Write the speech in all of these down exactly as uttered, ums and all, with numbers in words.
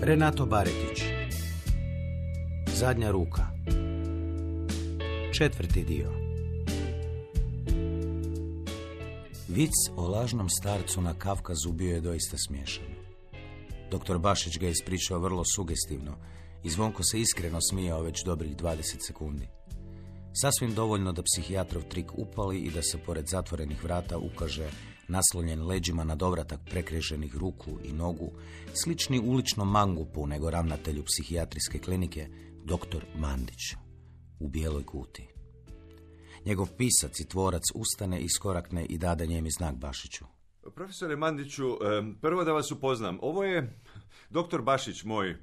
Renato Baretić. Zadnja ruka. Četvrti dio. Vic o lažnom starcu na Kavkazu bio je doista smiješan. Doktor Bašić ga je ispričao vrlo sugestivno i Zvonko se iskreno smijao već dobrih dvadeset sekundi. Sasvim dovoljno da psihijatrov trik upali i da se pored zatvorenih vrata ukaže naslonjen leđima na dovratak prekreženih ruku i nogu, slični uličnom mangupu nego ravnatelju psihijatrijske klinike, doktor Mandić, u bijeloj kuti. Njegov pisac i tvorac ustane, iskorakne i dade njemi znak Bašiću. Profesore Mandiću, prvo da vas upoznam. Ovo je doktor Bašić, moj,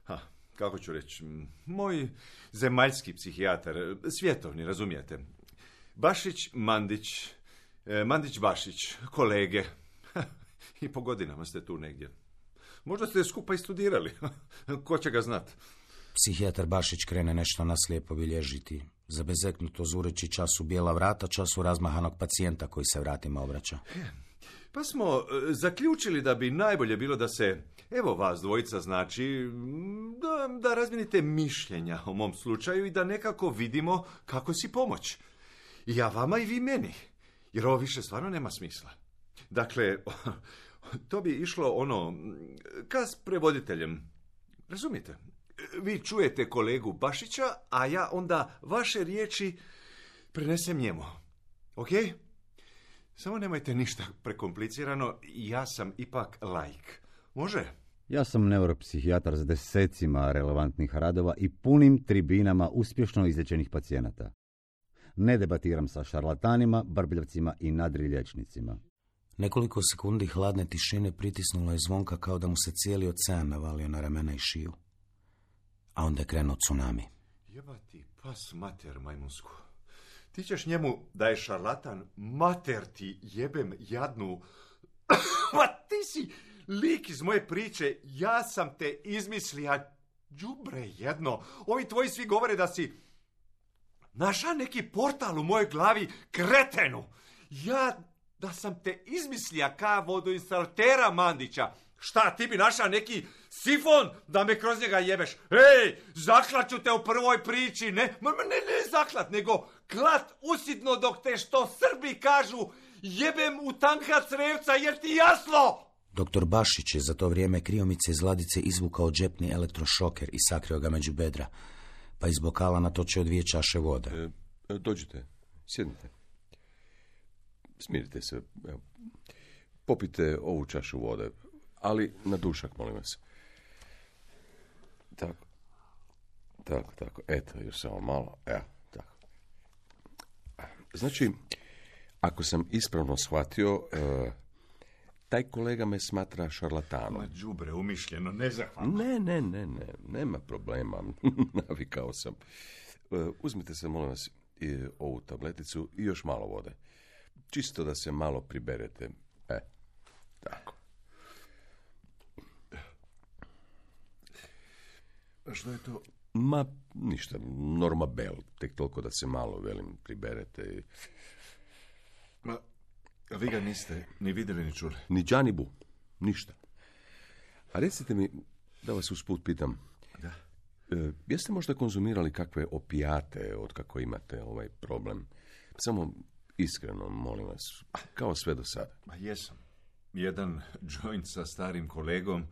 ha, kako ću reći, moj zemaljski psihijatar, svjetovni, razumijete. Bašić, Mandić, Mandić, Bašić, kolege. I po godinama ste tu negdje. Možda ste skupa i studirali. Ko će ga znat? Psihijatar Bašić krene nešto naslijepo bilježiti. Zabezeknuto zureći času bijela vrata, času razmahanog pacijenta koji se vratima obraća. Pa smo zaključili da bi najbolje bilo da se, evo vas dvojica, znači, da, da razmijenite mišljenja o mom slučaju i da nekako vidimo kako si pomoć. I ja vama i vi meni. Jer ovo više stvarno nema smisla. Dakle, to bi išlo ono, ka s prevoditeljem. Razumijete? Vi čujete kolegu Bašića, a ja onda vaše riječi prenesem njemu. Ok? Samo nemojte ništa prekomplicirano, ja sam ipak laik. Može? Ja sam neuropsihijatar s desecima relevantnih radova i punim tribinama uspješno izlječenih pacijenata. Ne debatiram sa šarlatanima, brbljavcima i nadrilječnicima. Nekoliko sekundi hladne tišine pritisnulo je Zvonka kao da mu se cijeli ocean navalio na ramena i šiju. A onda je krenuo tsunami. Jebati pas mater majmunsku. Ti ćeš njemu da je šarlatan, mater ti jebem jadnu. Ma ti si lik iz moje priče, ja sam te izmislija, đubre jedno. Ovi tvoji svi govore da si naša neki portal u mojoj glavi, kretenu. Ja da sam te izmislija ka vodoinstalatera Mandića. Šta, ti bi naša neki sifon da me kroz njega jebeš? Ej, zaklaću te u prvoj priči, ne, ne, ne zaklat, nego klat usitno dok te što Srbi kažu jebem u tanka crevca, jer ti jasno? Doktor Bašić je za to vrijeme kriomice iz ladice izvukao džepni elektrošoker i sakrio ga među bedra, pa iz bokala natočio dvije čaše vode. E, dođite, sjednite. Smirite se, evo. Popite ovu čašu vode, ali na dušak, molim vas. Tako, tako, tako, eto, još samo malo, evo, tako. Znači, ako sam ispravno shvatio, e, taj kolega me smatra šarlatanom. Ma đubre, umišljeno, nezahvalno. Ne, ne, ne, ne, nema problema, navikao sam. E, uzmite se, molim vas, i ovu tableticu i još malo vode. Čisto da se malo priberete. E, tako. A što je to? Ma, ništa, Normabel, tek toliko da se malo, velim, priberete. I... Ma, a vi ga niste ni vidjeli ni čuli? Ni džanibu, ništa. A recite mi, da vas usput pitam, da. E, jeste možda konzumirali kakve opijate od kako imate ovaj problem? Samo iskreno, molim vas, kao sve do sada. Ma jesam. Jedan joint sa starim kolegom,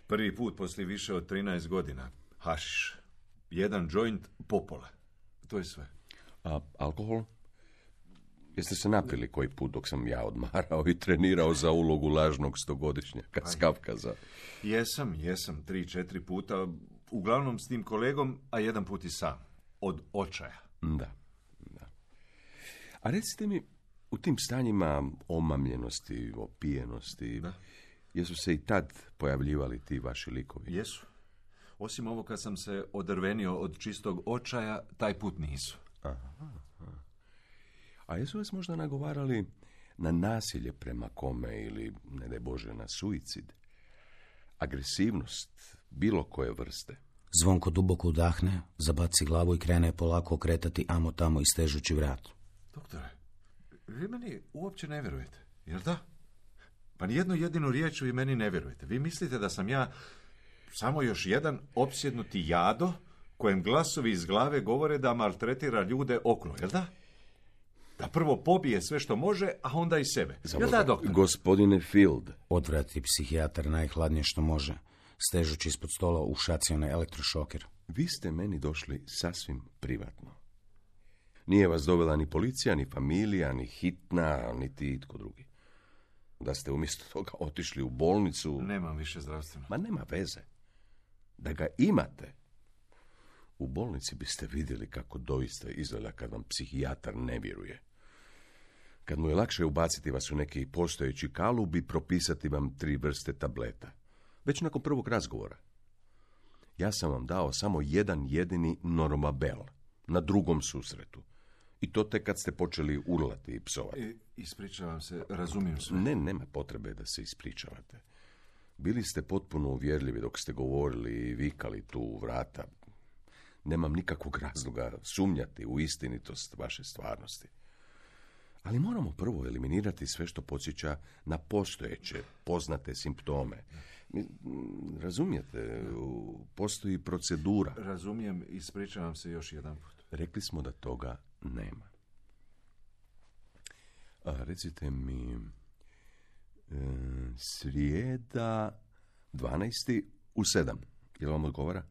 prvi put poslije više od trinaest godina. Hašiš. Jedan joint popola. To je sve. A alkohol? Jeste se napili koji put dok sam ja odmarao i trenirao za ulogu lažnog stogodišnjaka s Kavkaza? Jesam, jesam, tri, četiri puta, uglavnom s tim kolegom, a jedan put i sam. Od očaja. Da, da. A recite mi, u tim stanjima omamljenosti, opijenosti, da. Jesu se i tad pojavljivali ti vaši likovi? Jesu. Osim ovo kad sam se odrvenio od čistog očaja, taj put nisu. Aha, aha. A jesu vas možda nagovarali na nasilje prema kome ili, ne daj Bože, na suicid? Agresivnost bilo koje vrste? Zvonko duboko udahne, zabaci glavu i krene polako okretati amo tamo istežući vrat. Doktore, vi meni uopće ne vjerujete, jel da? Pa nijednu jedinu riječ vi meni ne vjerujete. Vi mislite da sam ja samo još jedan opsjednuti jado kojem glasovi iz glave govore da maltretira ljude okolo, jel da? Da prvo pobije sve što može, a onda i sebe. Jel da, doktor? Gospodine Field. Odvrati psihijatar najhladnije što može, stežući ispod stola ušacione elektrošoker. Vi ste meni došli sasvim privatno. Nije vas dovela ni policija, ni familija, ni hitna, niti itko drugi. Da ste umjesto toga otišli u bolnicu... Nemam više zdravstveno. Ma nema veze. Da ga imate. U bolnici biste vidjeli kako doista izgleda kad vam psihijatar ne vjeruje. Kad mu je lakše ubaciti vas u neki postojeći kalub i propisati vam tri vrste tableta. Već nakon prvog razgovora. Ja sam vam dao samo jedan jedini Normabel na drugom susretu. I to tek kad ste počeli urlati i psovati. I, ispričavam se, razumijem sve. Ne, nema potrebe da se ispričavate. Bili ste potpuno uvjerljivi dok ste govorili i vikali tu u vrata. Nemam nikakvog razloga sumnjati u istinitost vaše stvarnosti. Ali moramo prvo eliminirati sve što podsjeća na postojeće, poznate simptome. Razumijete, postoji procedura. Razumijem, ispričavam se još jedan put. Rekli smo da toga nema. A, recite mi, e, srijeda dvanaesti u sedam. Jel vam odgovara?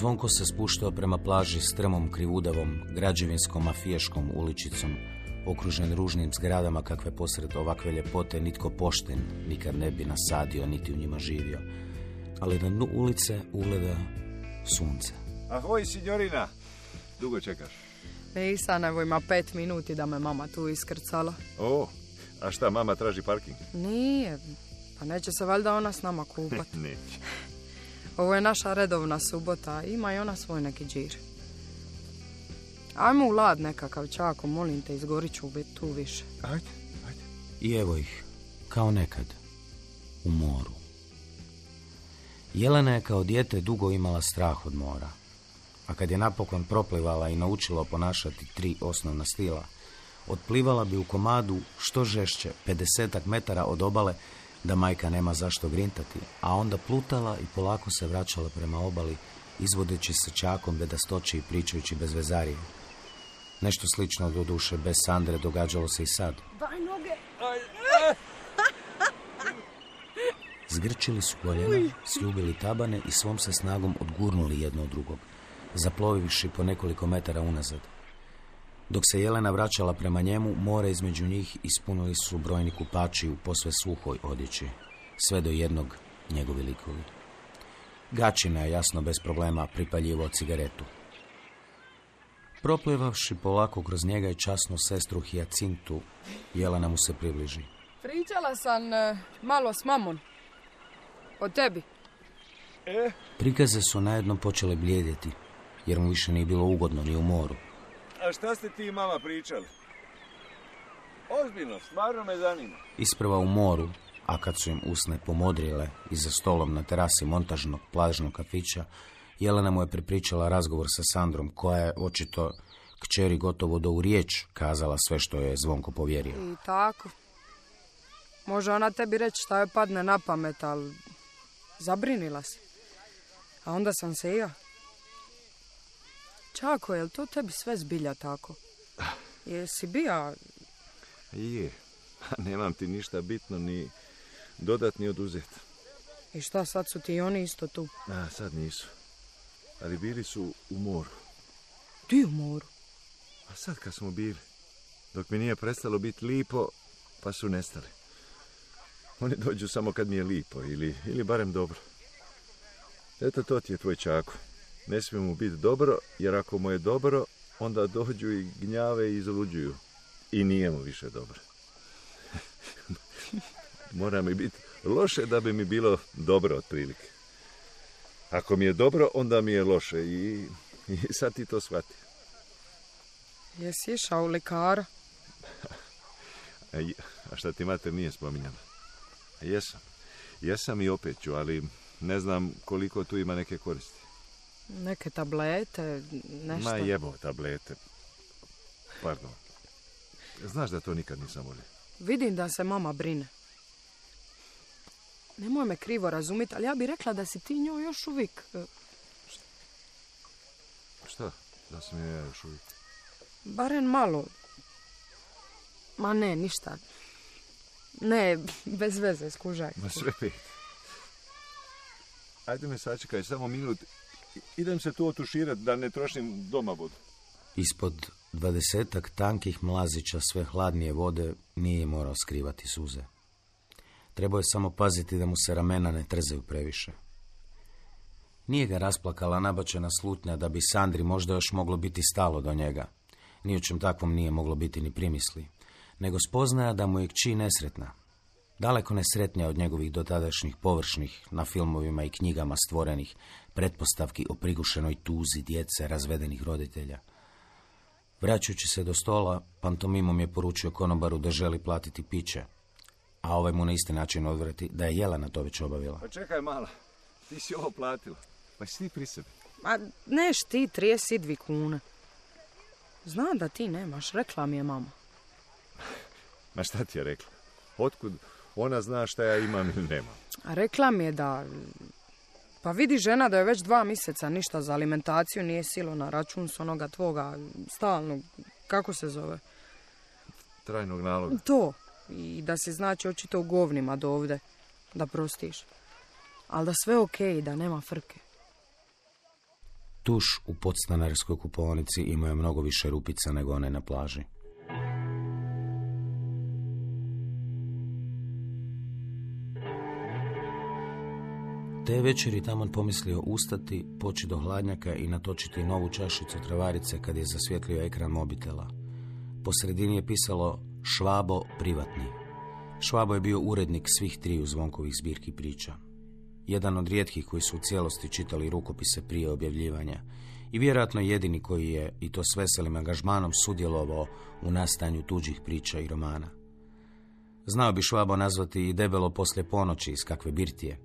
Zvonko se spuštao prema plaži strmom, krivudavom, građevinskom, mafijaškom uličicom, okružen ružnim zgradama kakve posred ovakve ljepote nitko pošten nikad ne bi nasadio niti u njima živio. Ali na dnu ulice ugleda sunce. Ahoj, signorina! Dugo čekaš? Nisam, evo ima pet minuti da me mama tu iskrcala. O, a šta, mama traži parking? Nije, pa neće se valjda ona s nama kupat. Neće. Ovo je naša redovna subota, ima i ona svoj neki džir. Ajmo u lad nekakav, Čako, molim te, izgorit ću tu više. Ajde, ajde. I evo ih, kao nekad, u moru. Jelena je kao dijete dugo imala strah od mora, a kad je napokon proplivala i naučila ponašati tri osnovna stila, otplivala bi u komadu što žešće, pedesetak metara od obale, da majka nema zašto grintati, a onda plutala i polako se vraćala prema obali, izvodeći se Čakom bedastoći i pričajući bez vezarije. Nešto slično do duše bez Sandre događalo se i sad. Daj noge! Zgrčili su koljena, sljubili tabane i svom se snagom odgurnuli jedno od drugog, zaplovivši po nekoliko metara unazad. Dok se Jelena vraćala prema njemu, more između njih ispunili su brojni kupači u posve suhoj odjeći, sve do jednog njegovi likovi. Gačina je jasno bez problema pripaljivao cigaretu. Proplivavši polako kroz njega i časnu sestru Hijacintu, Jelena mu se približi. Pričala sam uh, malo s mamom. O tebi. E? Prikaze su najednom počele bljedjeti, jer mu više nije bilo ugodno ni u moru. A šta ste ti i mama pričali? Ozbiljno, stvarno me zanima. Isprva u moru, a kad su im usne pomodrile i za stolom na terasi montažnog plažnog kafića, Jelena mu je prepričala razgovor sa Sandrom, koja je očito kćeri gotovo do u riječ kazala sve što je Zvonko povjerio. I tako. Može ona tebi reći šta je padne na pamet, ali zabrinila se. A onda sam se i ja. Čako, je li to tebi sve zbilja tako? Jesi bija? Je, nemam ti ništa bitno ni dodat ni oduzet. I šta, sad su ti i oni isto tu? A, sad nisu. Ali bili su u moru. Ti u moru? A sad kad smo bili, dok mi nije prestalo biti lipo, pa su nestali. Oni dođu samo kad mi je lipo, ili, ili barem dobro. Eto, to ti je tvoj Čako. Ne smije mu biti dobro, jer ako mu je dobro, onda dođu i gnjave i izluđuju. I nije mu više dobro. Mora mi biti loše da bi mi bilo dobro otprilike. Ako mi je dobro, onda mi je loše i, i sad ti to shvati. Jesi išao u likara? A, a šta ti mater nije spominjala? A jesam. Jesam i opet ću, ali ne znam koliko tu ima neke koristi. Neke tablete, nešto? Ma jebo tablete. Pardon. Znaš da to nikad nisam volio. Vidim da se mama brine. Nemoj me krivo razumjeti, ali ja bih rekla da si ti njoj još uvijek... e, Šta? Da sam ja još uvijek. Barem malo. Ma ne, ništa. Ne, bez veze, skužaj. Ma sve pet. Ajde me sačekaj, samo minut. I- Idem se tu otuširat da ne trošim doma vodu. Ispod dvadesetak tankih mlazića sve hladnije vode nije morao skrivati suze. Trebao je samo paziti da mu se ramena ne trzaju previše. Nije ga rasplakala nabačena slutnja da bi Sandri možda još moglo biti stalo do njega. Ni o čem takvom nije moglo biti ni primisli, nego spoznaja da mu je kći nesretna. Daleko nesretnija od njegovih dotadašnjih površnih, na filmovima i knjigama stvorenih, pretpostavki o prigušenoj tuzi djece razvedenih roditelja. Vraćajući se do stola, pantomimom je poručio konobaru da želi platiti piće, a ovaj mu na isti način odvrati da je Jelena to već obavila. Pa čekaj mala, ti si ovo platila. Pa si ti pri sebi. Ma neš ti trideset dvije kune. Znam da ti nemaš, rekla mi je mama. Ma šta ti je rekla? Otkud ona zna šta ja imam ili nemam? A rekla mi je da... Pa vidi žena da je već dva mjeseca ništa za alimentaciju nije silo na račun s onoga tvoga stalnog, kako se zove? Trajnog naloga. To. I da si znači očito u govnima do ovde, da prostiš. Ali da sve okej, okay, da nema frke. Tuš u podstanarskoj kupovnici imao je mnogo više rupica nego one na plaži. Te večeri Tamon pomislio ustati, poći do hladnjaka i natočiti novu čašicu travarice kad je zasvjetlio ekran mobitela. Po sredini je pisalo Švabo privatni. Švabo je bio urednik svih triju Zvonkovih zbirki priča. Jedan od rijetkih koji su u cijelosti čitali rukopise prije objavljivanja i vjerojatno jedini koji je, i to s veselim angažmanom, sudjelovao u nastanju tuđih priča i romana. Znao bi Švabo nazvati i debelo poslije ponoći iz kakve birtije,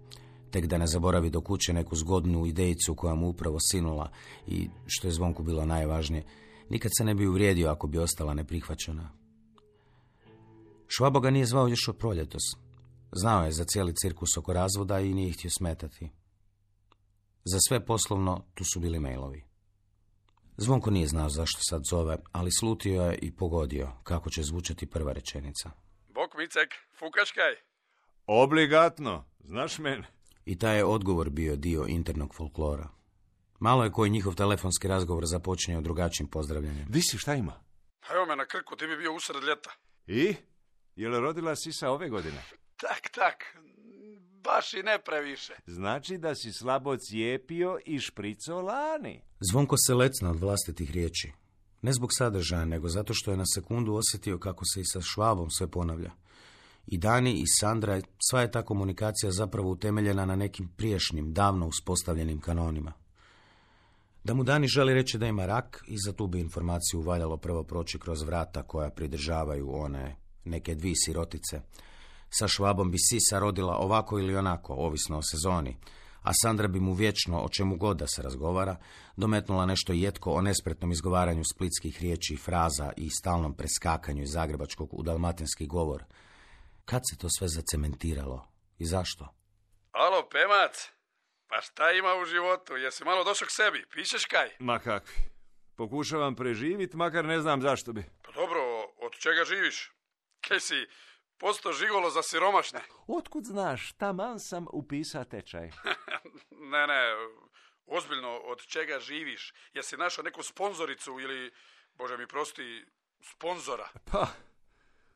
tek da ne zaboravi do kuće neku zgodnu idejicu koja mu upravo sinula i, što je Zvonku bilo najvažnije, nikad se ne bi uvrijedio ako bi ostala neprihvaćena. Švabo ga nije zvao još od proljetos. Znao je za cijeli cirkus oko razvoda i nije htio smetati. Za sve poslovno tu su bili mailovi. Zvonko nije znao zašto sad zove, ali slutio je i pogodio kako će zvučati prva rečenica. Bok Micek, fukaškaj. Obligatno, znaš mene. I taj je odgovor bio dio internog folklora. Malo je koji njihov telefonski razgovor započinjao drugačijim pozdravljanjem. Di si, šta ima? Evo me na Krku, ti bi bio usred ljeta. I? Je li rodila sisa ove godine? Tak, tak, baš i ne previše. Znači da si slabo cijepio i šprico lani. Zvonko se lecna od vlastitih riječi. Ne zbog sadržaja, nego zato što je na sekundu osjetio kako se i sa Švabom sve ponavlja. I Dani i Sandra, sva je ta komunikacija zapravo utemeljena na nekim prijašnjim, davno uspostavljenim kanonima. Da mu Dani želi reći da ima rak, i za tu bi informaciju valjalo prvo proći kroz vrata koja pridržavaju one neke dvije sirotice. Sa Švabom bi sisa rodila ovako ili onako, ovisno o sezoni, a Sandra bi mu vječno, o čemu god da se razgovara, dometnula nešto jetko o nespretnom izgovaranju splitskih riječi i fraza i stalnom preskakanju iz zagrebačkog u dalmatinski govor. Kad se to sve zacementiralo i zašto? Alo, Pemac, pa šta ima u životu? Jesi malo došao k sebi? Pišeš kaj? Ma kakvi. Pokušavam preživit, makar ne znam zašto bi. Pa dobro, od čega živiš? Kaj si posto žigolo za siromašne? Otkud znaš, taman sam upisao tečaj. Ne, ne, ozbiljno, od čega živiš? Jesi našao neku sponzoricu ili, Bože mi prosti, sponzora? Pa,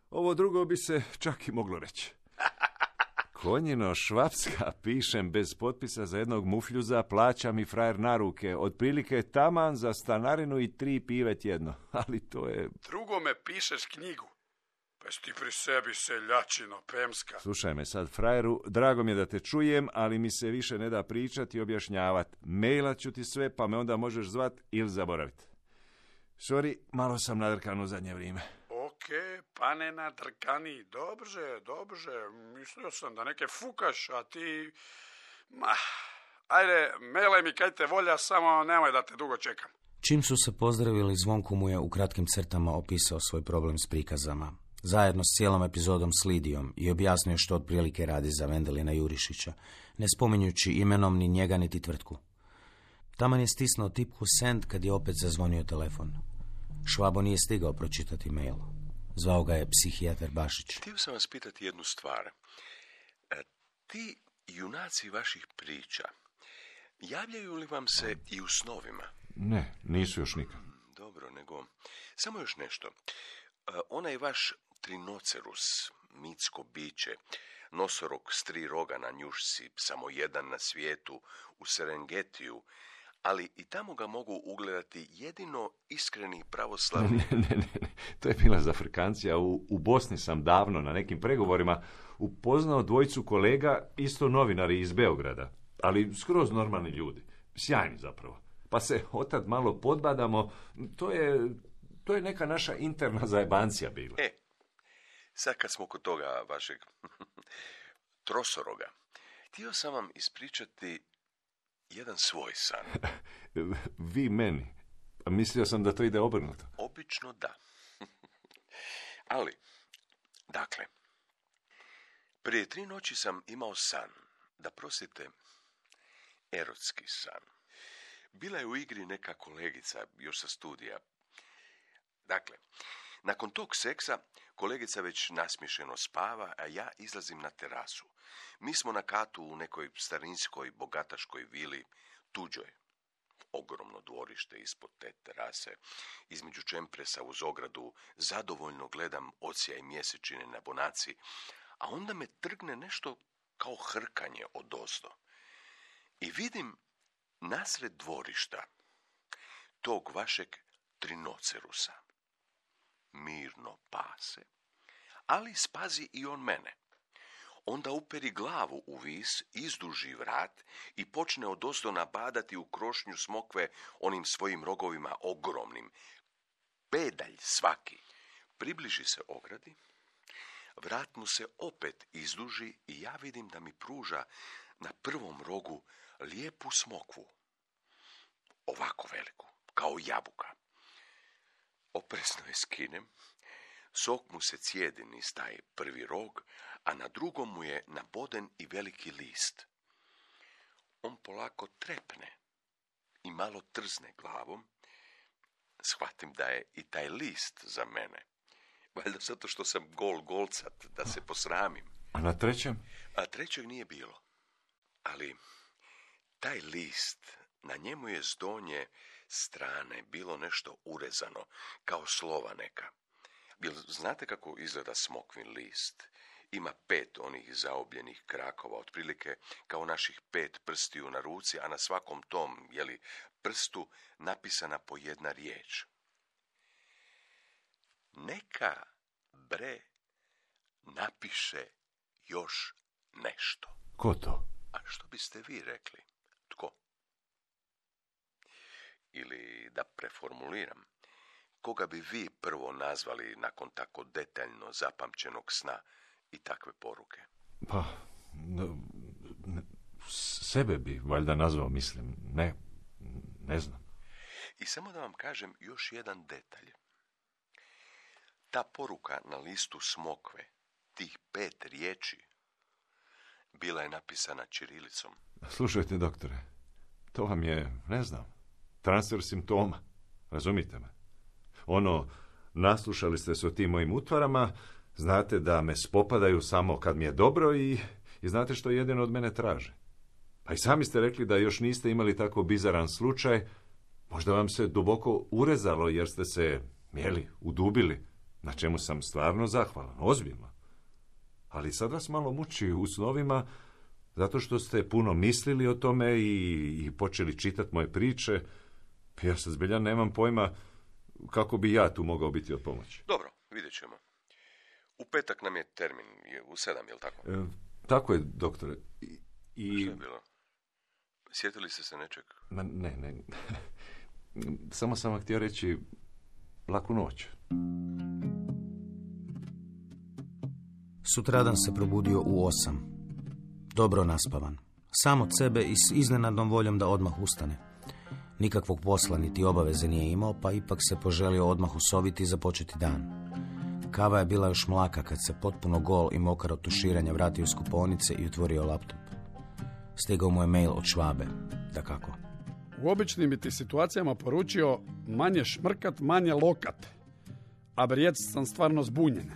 ovo drugo bi se čak i moglo reći. Konjino švapska, pišem bez potpisa za jednog mufljuza, plaća mi frajer na ruke, otprilike taman za stanarinu i tri pive tjedno, ali to je... Drugome pišeš knjigu. Pa jesi ti pri sebi seljačino, Pemska. Slušaj me sad, frajeru, drago mi je da te čujem, ali mi se više ne da pričati i objašnjavati. Mailat ću ti sve, pa me onda možeš zvat ili zaboraviti. Sorry, malo sam nadrkan u zadnje vrijeme. Okej, pane nadrkani, dobrze, dobrze, mislio sam da neke fukaš, a ti... Ma, ajde, mailaj mi kaj te volja, samo nemoj da te dugo čekam. Čim su se pozdravili, Zvonko mu je u kratkim crtama opisao svoj problem s prikazama, zajedno s cijelom epizodom s Lidijom, i objasnio što otprilike radi za Vendelina Jurišića, ne spominjući imenom ni njega niti tvrtku. Taman je stisnuo tipku send kad je opet zazvonio telefon. Švabo nije stigao pročitati mail. Zvao ga je psihijatar Bašić. Htio sam vas pitati jednu stvar. E, ti junaci vaših priča, javljaju li vam se i u snovima? Ne, nisu još nikad. Dobro, nego samo još nešto. E, onaj vaš trinocerus, mitsko biće, nosorog s tri roga na njušci, samo jedan na svijetu, u Serengetiju, ali i tamo ga mogu ugledati jedino iskreni pravoslavni... Ne, ne, ne, ne. To je bila za Afrikancija. U, u Bosni sam davno na nekim pregovorima upoznao dvojicu kolega, isto novinari iz Beograda, ali skroz normalni ljudi. Sjajni zapravo. Pa se otad malo podbadamo. To je, to je neka naša interna zajebancija bila. E, sad kad smo kod toga vašeg trosoroga, htio sam vam ispričati jedan svoj san. Vi meni. Mislio sam da to ide obrnuto. Obično da. Ali, dakle, prije tri noći sam imao san, da prostite, erotski san. Bila je u igri neka kolegica, još sa studija. Dakle, nakon tog seksa, kolegica već nasmiješeno spava, a ja izlazim na terasu. Mi smo na katu u nekoj starinskoj, bogataškoj vili, tuđoj. Ogromno dvorište ispod te terase, između čempresa uz ogradu, zadovoljno gledam odsjaj mjesečine na bonaci, a onda me trgne nešto kao hrkanje odozdo. I vidim nasred dvorišta tog vašeg trinocerusa. Mirno pase, ali spazi i on mene. Onda uperi glavu u vis, izduži vrat i počne odozdo nabadati u krošnju smokve onim svojim rogovima ogromnim. Pedalj svaki. Približi se ogradi, vrat mu se opet izduži i ja vidim da mi pruža na prvom rogu lijepu smokvu. Ovako veliku, kao jabuka. Opresno je skinem, sok mu se cijedi niz taj prvi rog, a na drugom mu je naboden i veliki list. On polako trepne i malo trzne glavom. Shvatim da je i taj list za mene. Valjda zato što sam gol golcat, da se posramim. A na trećem? A trećeg nije bilo. Ali taj list, na njemu je s donje strane bilo nešto urezano, kao slova neka. Jel znate kako izgleda smokvin list? Ima pet onih zaobljenih krakova, otprilike kao naših pet prstiju na ruci, a na svakom tom, jeli, prstu napisana po jedna riječ. Neka, bre, napiše još nešto. Ko to? A što biste vi rekli? Tko? Ili da preformuliram, koga bi vi prvo nazvali nakon tako detaljno zapamćenog sna i takve poruke? Pa, ne, ne, sebe bi valjda nazvao, mislim. Ne, ne znam. I samo da vam kažem još jedan detalj. Ta poruka na listu smokve, tih pet riječi, bila je napisana ćirilicom. Slušajte, doktore, to vam je, ne znam, transfer simptoma. Razumite me? Ono, naslušali ste se o tim mojim utvarama, znate da me spopadaju samo kad mi je dobro i, i znate što jedino od mene traže. Pa i sami ste rekli da još niste imali tako bizaran slučaj. Možda vam se duboko urezalo jer ste se, jeli, udubili, na čemu sam stvarno zahvalan, ozbiljno. Ali sad vas malo muči u snovima, zato što ste puno mislili o tome i, i počeli čitati moje priče. Ja sad zbilja nemam pojma kako bi ja tu mogao biti od pomoći. Dobro, vidjet ćemo. U petak nam je termin, je u sedam, je li tako? E, tako je, doktore. I, i... Što je bilo? Sjetili ste se nečeg? Ma, ne, ne. Samo sam vam htio reći laku noć. Sutradan se probudio u osam. Dobro naspavan. Sam od sebe i s iznenadnom voljom da odmah ustane. Nikakvog posla niti obaveze nije imao, pa ipak se poželio odmah usoviti i započeti dan. Kava je bila još mlaka kad se potpuno gol i mokar od tuširanja vratio iz kupaonice i otvorio laptop. Stigao mu je mail od Švabe, dakako. U običnim bi ti situacijama poručio manje šmrkat, manje lokat. A brijec sam stvarno zbunjen.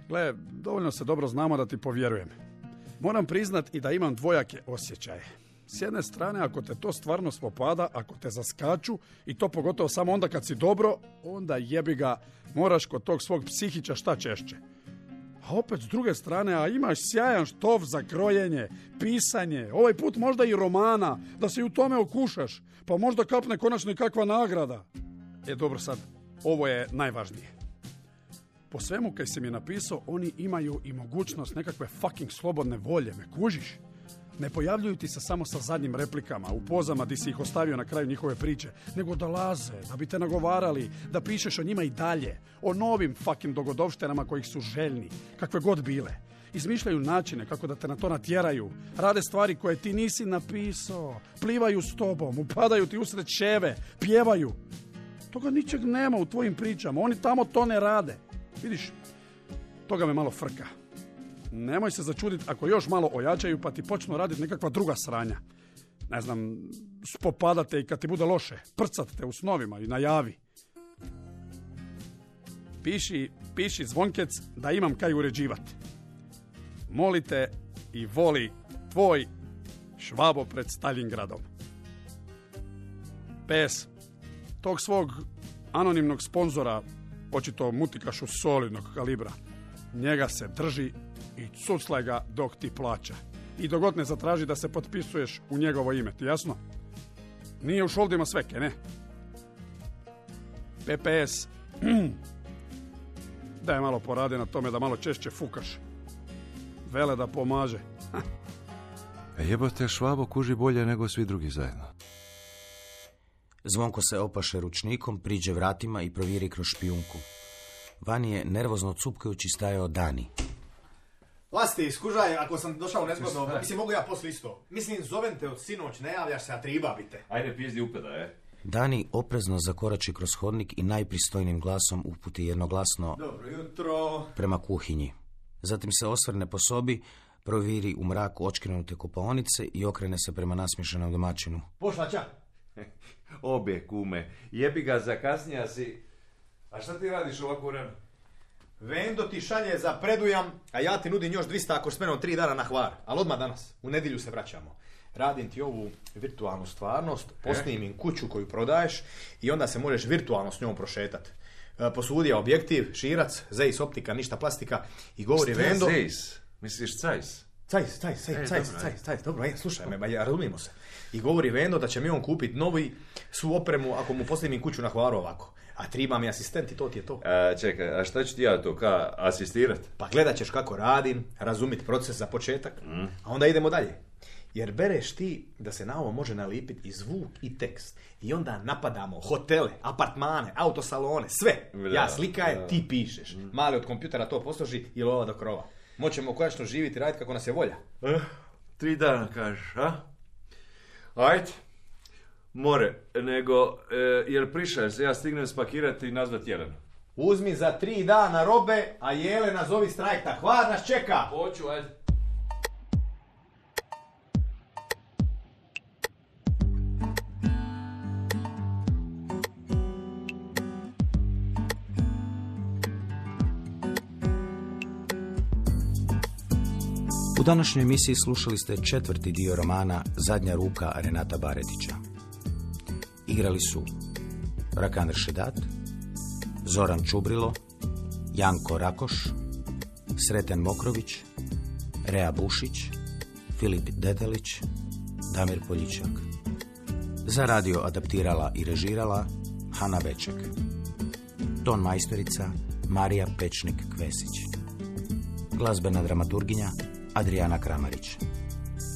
Gle, dovoljno se dobro znamo da ti povjerujem. Moram priznat i da imam dvojake osjećaje. S jedne strane, ako te to stvarno spopada, ako te zaskaču, i to pogotovo samo onda kad si dobro, onda jebi ga, moraš kod tog svog psihića šta češće. A opet s druge strane, a imaš sjajan štov za krojenje, pisanje, ovaj put možda i romana, da se i u tome okušaš, pa možda kapne konačno i kakva nagrada. E dobro sad, ovo je najvažnije. Po svemu kaj si mi napisao, oni imaju i mogućnost nekakve fucking slobodne volje, me kužiš? Ne pojavljuju ti se samo sa zadnjim replikama, u pozama di si ih ostavio na kraju njihove priče, nego dolaze, da bi te nagovarali, da pišeš o njima i dalje, o novim fucking dogodovštenama kojih su željni, kakve god bile. Izmišljaju načine kako da te na to natjeraju, rade stvari koje ti nisi napisao, plivaju s tobom, upadaju ti usred ševe, pjevaju. Toga ničeg nema u tvojim pričama, oni tamo to ne rade. Vidiš, toga me malo frka. Nemoj se začuditi ako još malo ojačaju pa ti počnu raditi nekakva druga sranja. Ne znam, spopadate i kad ti bude loše, prcat te u snovima i najavi. Piši, piši Zvonkec da imam kaj uređivati. Molite i voli tvoj Švabo pred Stalingradom. P S. Tog svog anonimnog sponzora, očito mutikašu solidnog kalibra, njega se drži i cuclaj ga dok ti plaća. I dogod ne zatraži da se potpisuješ u njegovo ime, ti jasno? Nije u šoldima sveke, ne? P P S. Daj malo poradi na tome da malo češće fukaš. Vele da pomaže. E jebote, Švabo kuži bolje nego svi drugi zajedno. Zvonko se opaše ručnikom, priđe vratima i provjeri kroz špijunku. Vani je nervozno cupkajući stajao Dani. Lasti, skužaj, ako sam došao nezgodno, mislim, mogu ja poslije isto. Mislim, zovem te od sinoć, ne javljaš se, a triba bi te. Ajde, pizdi upeda, e. Dani oprezno zakorači kroz hodnik i najpristojnim glasom uputi jednoglasno Dobro jutro. prema kuhinji. Zatim se osvrne po sobi, proviri u mraku očkrenute kupaonice i okrene se prema nasmiješenom domaćinu. Pošla ča? Obje, kume. Jebi ga, zakasnija si. A šta ti radiš ovako rano? Vendo ti šalje za predujam, a ja ti nudim još dvista ako s menom tri dana na Hvar. Ali odmah danas, u nedjelju se vraćamo. Radim ti ovu virtualnu stvarnost, posnimim kuću koju prodaješ i onda se možeš virtualno s njom prošetati. Posudija objektiv, širac, zejs optika, ništa plastika i govori Vendo... Zejs? Misliš cajs? Cajs, cajs, cajs, cajs, cajs, cajs, dobro, aj, slušaj me, ba, ja, razumijemo se. I govori Vendo da će mi on kupiti novi svu opremu ako mu posnimim kuću na Hvaru ovako. A triba mi asistent i to ti je to. A, čekaj, a šta ću ti ja to, ka asistirat? Pa gledat ćeš kako radim, razumit proces za početak, mm. a onda idemo dalje. Jer bereš ti da se na ovo može nalipiti i zvuk i tekst. I onda napadamo hotele, apartmane, autosalone, sve. Bra, ja slikaje, bra. Ti pišeš. Mm. Mali od kompjutera to posloži i lova do krova. Moćemo konačno živjeti i raditi kako nas je volja. Eh, tri dana kažeš, a? Ajde. More, nego, e, jel prišaš se, ja stignem spakirati i nazvat Jelenu. Uzmi za tri dana robe, a Jelena zovi s trajekta. Hvar nas čeka! Hoću, ajde. U današnjoj emisiji slušali ste četvrti dio romana Zadnja ruka Renata Baretića. Igrali su Rakandar Šedat, Zoran Čubrilo, Janko Rakoš, Sreten Mokrović, Rea Bušić, Filip Dedelić, Damir Poljičak. Za radio adaptirala i režirala Hana Veček. Ton majstorica Marija Pečnik-Kvesić. Glazbena dramaturginja Adriana Kramarić.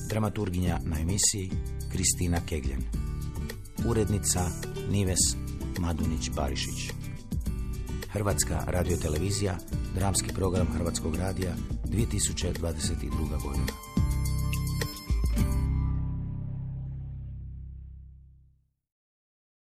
Dramaturginja na emisiji Kristina Kegljen. Urednica Nives Madunić-Barišić. Hrvatska radiotelevizija, dramski program Hrvatskog radija, dvije tisuće dvadeset druga godina.